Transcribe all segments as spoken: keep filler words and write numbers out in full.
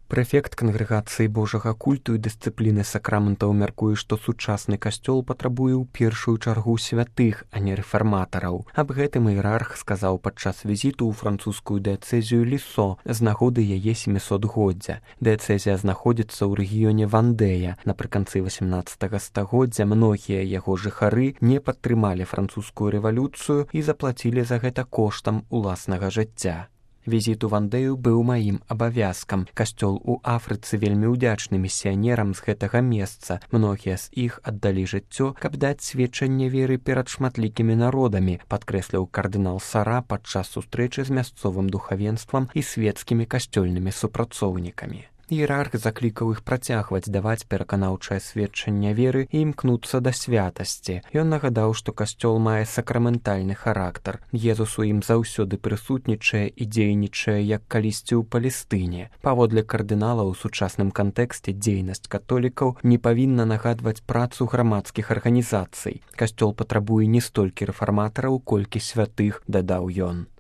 Прэфект кангрэгацыі Божага культу і дысцыпліны сакраментаў мяркуе, што сучасны касцёл патрабуе ў першую чаргу святых, а не рэфарматараў. Аб гэтым іерарх сказаў падчас візіту ў французскую дыяцэзію Лісо з нагоды яе сямісотгоддзя. Дыяцэзія знаходзіцца ў рэгіёне Вандэя. Напрыканцы васямнаццатага стагоддзя многія яго жыхары не падтрымалі французскую рэвалюцыю і заплацілі за гэта коштам уласнага жыцця. Візіт у Вандэю быў маім абавязкам. Касцёл у Афрыцы вельмі ўдзячны місіянерам з гэтага месца. Многія з іх аддалі жыццё, каб даць сведчанне веры перад шматлікімі народамі, падкрэсліў кардынал Сара падчас сустрэчы з мясцовым духавенствам і свецкімі касцёльнымі супрацоўнікамі. Іерарх заклікаў іх працягваць даваць пераканаўчае сведчанне веры і імкнуцца да святасці. Ён нагадаў, што касцёл мае сакраментальны характар. Езус у ім заўсёды прысутнічае і дзейнічае, як калісьці ў Палестыне. Паводле кардынала ў сучасным кантэксце дзейнасць католікаў не павінна нагадваць працу грамадскіх арганізацый. Касцёл патрабуе не столькі рэфарматараў, колькі святых, дадаў ён.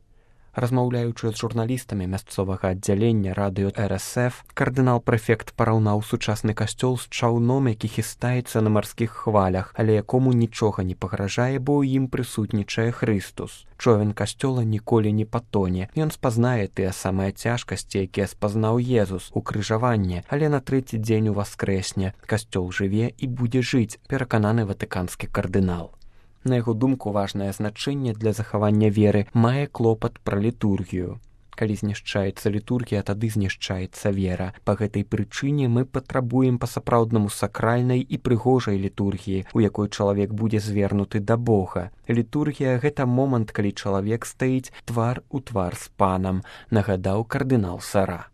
Размаўляючы з журналістамі мясцовага аддзялення радыё эр эс эф, кардынал-прэфект параўнаў сучасны касцёл з чаўном, які хістаецца на марскіх хвалях, але якому нічога не пагражае, бо ў ім прысутнічае Хрыстус. Човен касцёла ніколі не патоне. Ён спазнае тыя самыя цяжкасці, якія спазнаў Езус, укрыжаванне, але на трэці дзень уваскрэсне. Касцёл жыве і будзе жыць, перакананы ватыканскі кардынал. На яго думку, важнае значэнне для захавання веры мае клопат пра літургію. Калі знішчаецца літургія, тады знішчаецца вера. Па гэтай прычыне мы патрабуем па-сапраўднаму сакральнай і прыгожай літургіі, у якой чалавек будзе звернуты да Бога. Літургія – гэта момант, калі чалавек стаіць твар у твар з панам, нагадаў кардынал Сара.